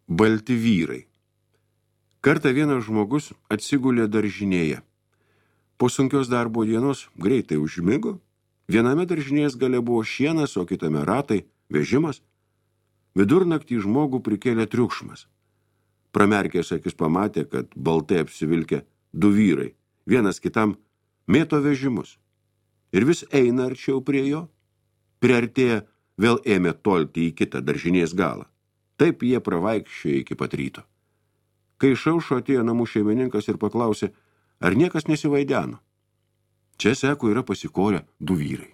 Balti vyrai. Kartą vienas žmogus atsigulė daržinėje. Po sunkios darbo dienos greitai užmigo. Viename daržinės gale buvo šienas, o kitame ratai, vežimas. Vidurnaktį žmogų prikėlė triukšmas. Pramerkęs akis pamatė, kad baltai apsivilkę du vyrai, vienas kitam mėto vežimus. Ir vis eina arčiau prie jo. Priartėję vėl ėmė tolti į kitą daržinės galą. Taip jie pravaikščiojo iki pat ryto. Kai išaušo atėjo namų šeimininkas ir paklausė, ar niekas nesivaideno. Čia, sako, yra pasikorę du vyrai.